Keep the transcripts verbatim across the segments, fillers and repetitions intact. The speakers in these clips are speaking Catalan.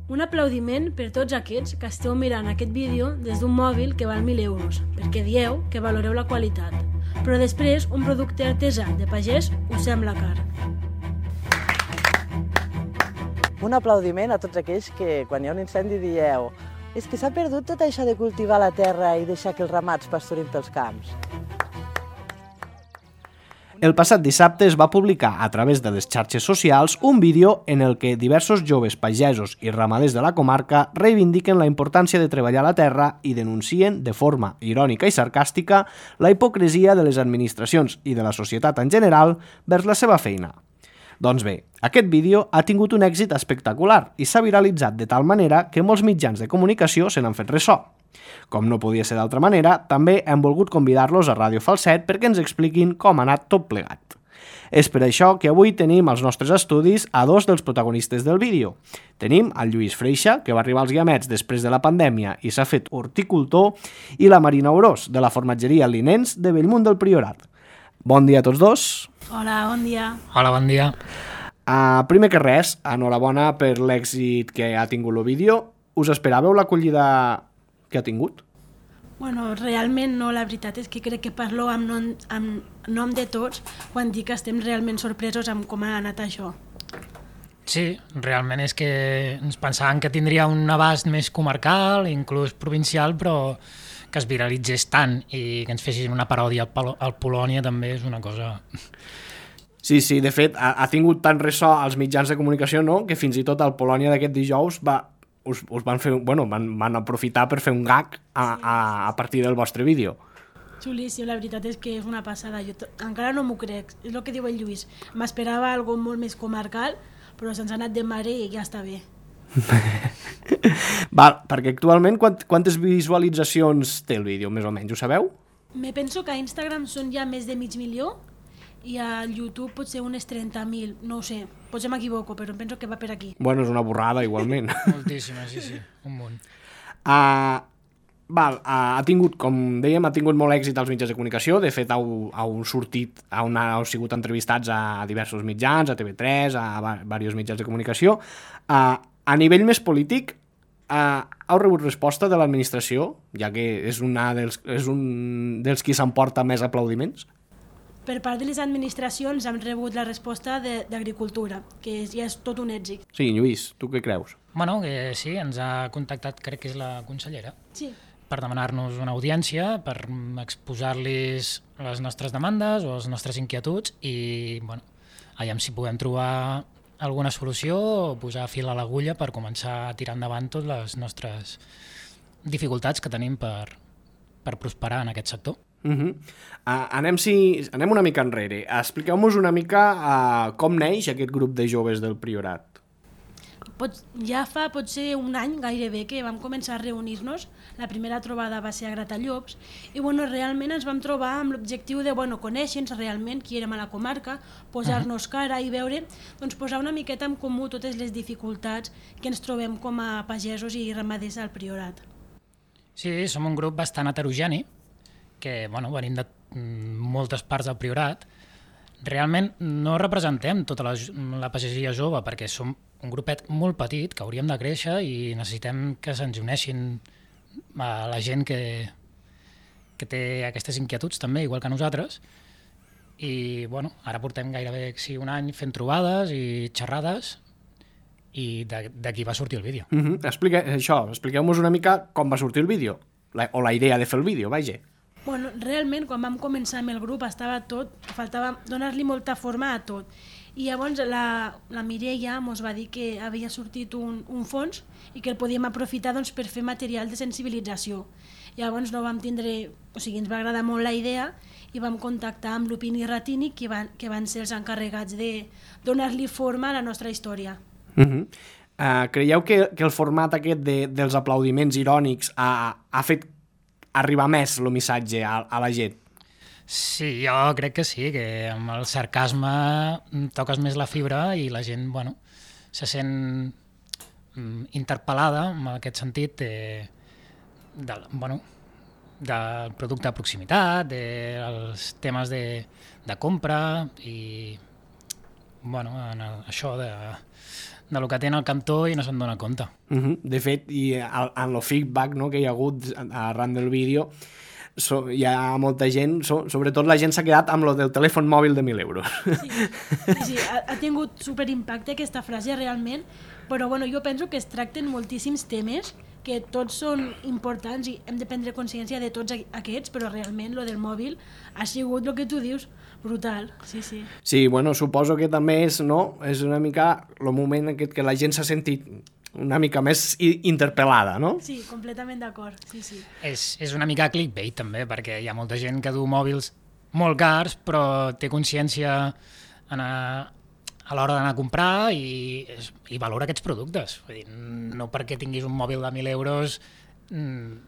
Un aplaudiment per tots aquests que esteu mirant aquest vídeo des d'un mòbil que val mil euros, perquè dieu que valoreu la qualitat. Però després, un producte artesà de pagès us sembla car. Un aplaudiment a tots aquells que, quan hi ha un incendi, dieu «És que s'ha perdut tot això de cultivar la terra i deixar que els ramats pasturin pels camps». El passat dissabte es va publicar a través de les xarxes socials un vídeo en el que diversos joves pagesos i ramaders de la comarca reivindiquen la importància de treballar la terra i denuncien, de forma irònica i sarcàstica, la hipocresia de les administracions i de la societat en general vers la seva feina. Doncs bé, aquest vídeo ha tingut un èxit espectacular i s'ha viralitzat de tal manera que molts mitjans de comunicació se n'han fet ressò. Com no podia ser d'altra manera, també hem volgut convidar-los a Ràdio Falset perquè ens expliquin com ha anat tot plegat. És per això que avui tenim als nostres estudis a dos dels protagonistes del vídeo. Tenim el Lluís Freixa, que va arribar als Guiamets després de la pandèmia i s'ha fet horticultor, i la Marina Orós, de la formatgeria Linens de Bellmunt del Priorat. Bon dia a tots dos. Hola, bon dia. Hola, bon dia. Uh, primer que res, enhorabona per l'èxit que ha tingut el vídeo. Us esperàveu l'acollida que ha tingut? Bueno, realment no, la veritat és que crec que parlo amb nom, amb nom de tots quan dic que estem realment sorpresos amb com ha anat això. Sí, realment és que ens pensàvem que tindria un abast més comarcal, inclús provincial, però que es viralitzés tant i que ens fessin una paròdia al, Pol al Polònia també és una cosa... Sí, sí, de fet, ha, ha tingut tant ressò als mitjans de comunicació, no?, que fins i tot al Polònia d'aquest dijous va... Us, us van, fer, bueno, van, van aprofitar per fer un gag a, a, a partir del vostre vídeo. Xulíssim, la veritat és que és una passada. Jo encara no m'ho crec, és el que diu el Lluís. M'esperava algo molt més comarcal, però se'ns ha anat de mare i ja està bé. Val, perquè actualment quant, quantes visualitzacions té el vídeo, més o menys, ho sabeu? Me penso que a Instagram són ja més de mig milió i a YouTube pot ser unes trenta mil, no ho sé, potser m'equivoco, però em penso que va per aquí. Bueno, és una borrada, igualment. Moltíssima, sí, sí, un munt. Uh, val, uh, ha tingut, com dèiem, ha tingut molt èxit als mitjans de comunicació, de fet heu, heu sortit, heu, heu sigut entrevistats a diversos mitjans, a T V tres, a, a diversos mitjans de comunicació. Uh, a nivell més polític, uh, heu rebut resposta de l'administració, ja que és, una dels, és un dels qui s'emporta més aplaudiments? Per part de les administracions hem rebut la resposta d'Agricultura, que ja és tot un èxit. Sí, Lluís, tu què creus? Bueno, que sí, ens ha contactat, crec que és la consellera, sí, per demanar-nos una audiència, per exposar-los les nostres demandes o les nostres inquietuds i, bueno, aviam si podem trobar alguna solució o posar fil a l'agulla per començar a tirar endavant totes les nostres dificultats que tenim per, per prosperar en aquest sector. Uh -huh. uh, anem, si, anem una mica enrere. Expliqueu-nos una mica uh, com neix aquest grup de joves del Priorat. Pot, ja fa potser un any gairebé que vam començar a reunir-nos. La primera trobada va ser a Gratallops i bueno, realment ens vam trobar amb l'objectiu de bueno, conèixer-nos realment qui érem a la comarca, posar-nos cara i veure, doncs, posar una miqueta en comú totes les dificultats que ens trobem com a pagesos i ramaders al Priorat. Sí, som un grup bastant heterogeni, que bueno, venim de moltes parts del Priorat. Realment no representem tota la, la pagesia jove perquè som un grupet molt petit que hauríem de créixer i necessitem que se'ns uneixin a la gent que, que té aquestes inquietuds també, igual que nosaltres. I bueno, ara portem gairebé sí, un any fent trobades i xerrades i d'aquí va sortir el vídeo. Uh -huh. Explique, això, expliqueu-nos una mica com va sortir el vídeo, la, o la idea de fer el vídeo, vaja. Bueno, realment, quan vam començar amb el grup estava tot, faltava donar-li molta forma a tot. I llavors la, la Mireia ens va dir que havia sortit un, un fons i que el podíem aprofitar doncs, per fer material de sensibilització. Llavors no vam tindre, o sigui, ens va agradar molt la idea i vam contactar amb Lupini i Ratini, que van, que van ser els encarregats de donar-li forma a la nostra història. Uh -huh. uh, creieu que, que el format aquest de, dels aplaudiments irònics ha, ha fet arribar més el missatge a, a la gent? Sí, jo crec que sí, que amb el sarcasme toques més la fibra i la gent, bueno, se sent interpel·lada en aquest sentit de, de, bueno, del producte de proximitat, dels temes de, de compra i bueno, en el, això de, de lo que té en el cantó i no se'n dona compte. Uh -huh. De fet, i en el feedback, no, que hi ha hagut arran del vídeo, so, hi ha molta gent, so, sobretot la gent s'ha quedat amb lo del telèfon mòbil de mil euros. Sí, sí, sí ha, ha tingut superimpacte aquesta frase realment, però bueno, jo penso que es tracten moltíssims temes que tots són importants i hem de prendre consciència de tots aquests, però realment lo del mòbil ha sigut el que tu dius, brutal, sí, sí. Sí, bueno, suposo que també és, no, és una mica el moment aquest que la gent s'ha sentit una mica més interpel·lada, no? Sí, completament d'acord, sí, sí. És, és una mica clickbait, també, perquè hi ha molta gent que du mòbils molt cars, però té consciència en a, a l'hora d'anar a comprar i, i valora aquests productes. Vull dir, no perquè tinguis un mòbil de mil euros... Mmm,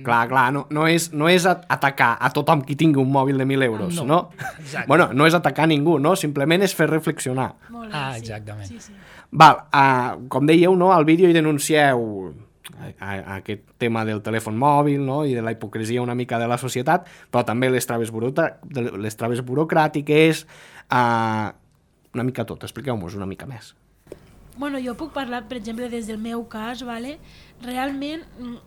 Clar, clar, no, no, és, no és atacar a tothom qui tingui un mòbil de mil euros, no? no? Exacte. Bueno, no és atacar a ningú, no? Simplement és fer reflexionar. Molt bé, ah, sí. exactament. Sí, sí. Val, uh, com dèieu, no, al vídeo hi denuncieu a, a aquest tema del telèfon mòbil, no?, i de la hipocresia una mica de la societat, però també les traves, les traves burocràtiques, uh, una mica tot. Expliqueu-nos una mica més. Bueno, jo puc parlar, per exemple, des del meu cas, vale? Realment,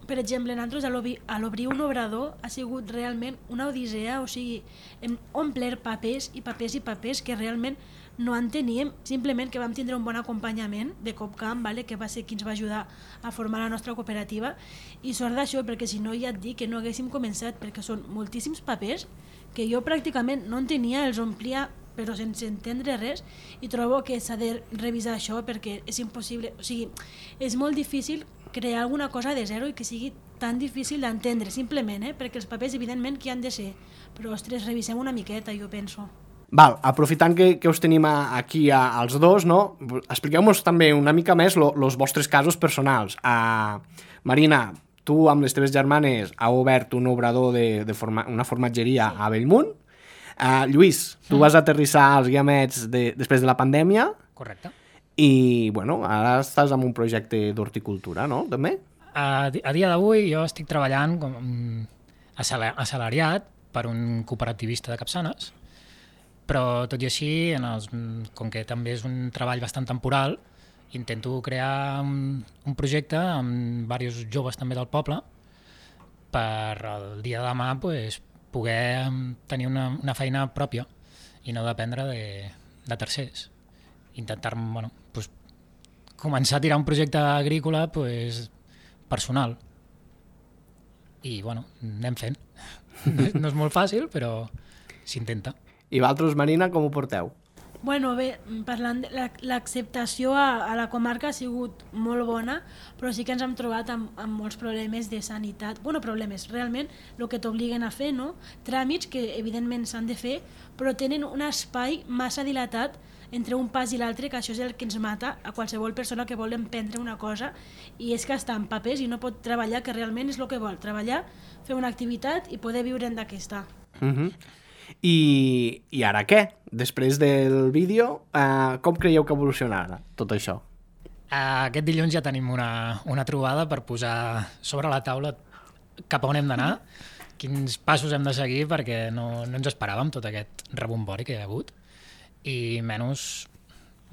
per exemple, nosaltres a l'obrir un obrador ha sigut realment una odissea, o sigui, hem omplert papers i papers i papers que realment no en teníem, simplement que vam tindre un bon acompanyament de Copcam, vale? Que va ser qui ens va ajudar a formar la nostra cooperativa, i sort d'això, perquè si no ja et dic que no haguéssim començat, perquè són moltíssims papers que jo pràcticament no en tenia, els omplia però sense entendre res, i trobo que s'ha de revisar això perquè és impossible, o sigui, és molt difícil crear alguna cosa de zero i que sigui tan difícil d'entendre, simplement, eh? Perquè els papers evidentment que han de ser, però ostres, revisem una miqueta, jo penso. Val, aprofitant que, que us tenim a, aquí a, als dos, no? Expliqueu-nos també una mica més els vostres casos personals. Uh, Marina, tu amb les teves germanes heu obert un obrador de, de forma, una formatgeria sí. a Bellmunt. Uh, Lluís, tu vas aterrissar als Guiamets de, després de la pandèmia. Correcte. I, bueno, ara estàs amb un projecte d'horticultura, no? També? A, a dia d'avui jo estic treballant com assalariat per un cooperativista de Capçanes, però tot i així, en els, com que també és un treball bastant temporal, intento crear un, un projecte amb diversos joves també del poble per el dia de demà pues, poder tenir una, una feina pròpia i no dependre de, de tercers. Intentar bueno, pues, començar a tirar un projecte agrícola pues, personal. I bueno, anem fent. No, no és molt fàcil, però s'intenta. I vosaltres, Marina, com ho porteu? Bueno, bé, parlant de l'acceptació a, a la comarca ha sigut molt bona, però sí que ens hem trobat amb, amb molts problemes de sanitat. Bueno, problemes, realment, el que t'obliguen a fer, no? Tràmits que evidentment s'han de fer, però tenen un espai massa dilatat entre un pas i l'altre, que això és el que ens mata a qualsevol persona que vol emprendre una cosa, i és que està en papers i no pot treballar, que realment és el que vol, treballar, fer una activitat i poder viure'n d'aquesta. Mhm. Uh-huh. I, I ara què? Després del vídeo, eh, com creieu que evolucionarà tot això? Aquest dilluns ja tenim una, una trobada per posar sobre la taula cap a on hem d'anar, quins passos hem de seguir, perquè no, no ens esperàvem tot aquest rebombori que hi ha hagut, i menys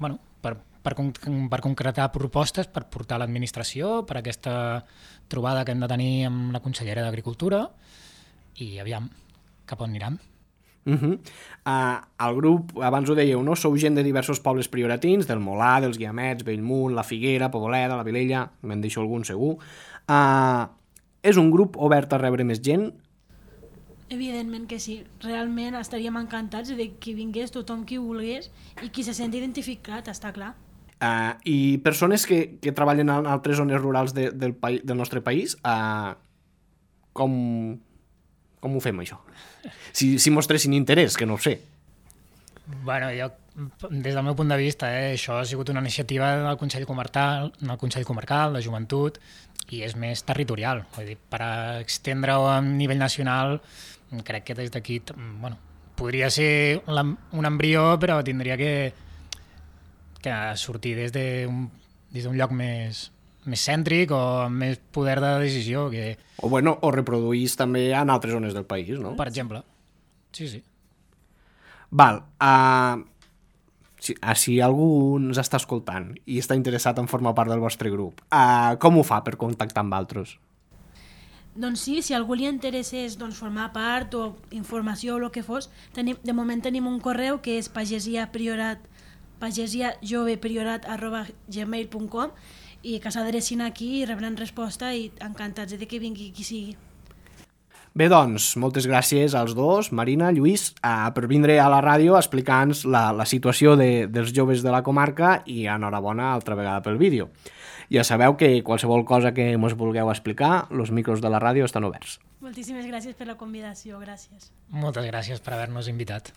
bueno, per, per, per concretar propostes per portar a l'administració, per aquesta trobada que hem de tenir amb la consellera d'Agricultura, i aviam, cap on anirem. Uh-huh. Uh, el grup, abans ho dèieu, no? Sou gent de diversos pobles prioratins, del Molar, dels Guiamets, Bellmunt, la Figuera, Poboleda, la Vilella, me'n deixo algun segur. Uh, és un grup obert a rebre més gent? Evidentment que sí. Realment estaríem encantats de que vingués tothom qui volgués i qui se senti identificat, està clar. Uh, I persones que, que treballen en altres zones rurals de, del, del nostre país, uh, com... Com ho fem, això? Si, si mostressin interès, que no ho sé. Bueno, jo, des del meu punt de vista, eh, això ha sigut una iniciativa del Consell Comarcal, del Consell Comarcal, de Joventut, i és més territorial. Vull dir, per extendre-ho a nivell nacional, crec que des d'aquí, bueno, podria ser un embrió, però tindria que, que sortir des d'un des d'un lloc més... més cèntric o amb més poder de decisió. Que... O, bueno, o reproduís també en altres zones del país, no? Per exemple. Sí, sí. Val. Uh, si, si algú ens està escoltant i està interessat en formar part del vostre grup, uh, com ho fa per contactar amb altres? Doncs sí, si a algú li interessés doncs, formar part o informació o el que fos, tenim, de moment tenim un correu que és pagesiapriorat, pagesiajovepriorat arroba gmail punt com i que s'adrecin aquí i rebran resposta i encantats de que vingui qui sigui. Bé, doncs, moltes gràcies als dos, Marina, Lluís, eh, per vindre a la ràdio a explicar-nos la, la situació de, dels joves de la comarca i enhorabona altra vegada pel vídeo. Ja sabeu que qualsevol cosa que ens vulgueu explicar, els micros de la ràdio estan oberts. Moltíssimes gràcies per la convidació, gràcies. Moltes gràcies per haver-nos invitat.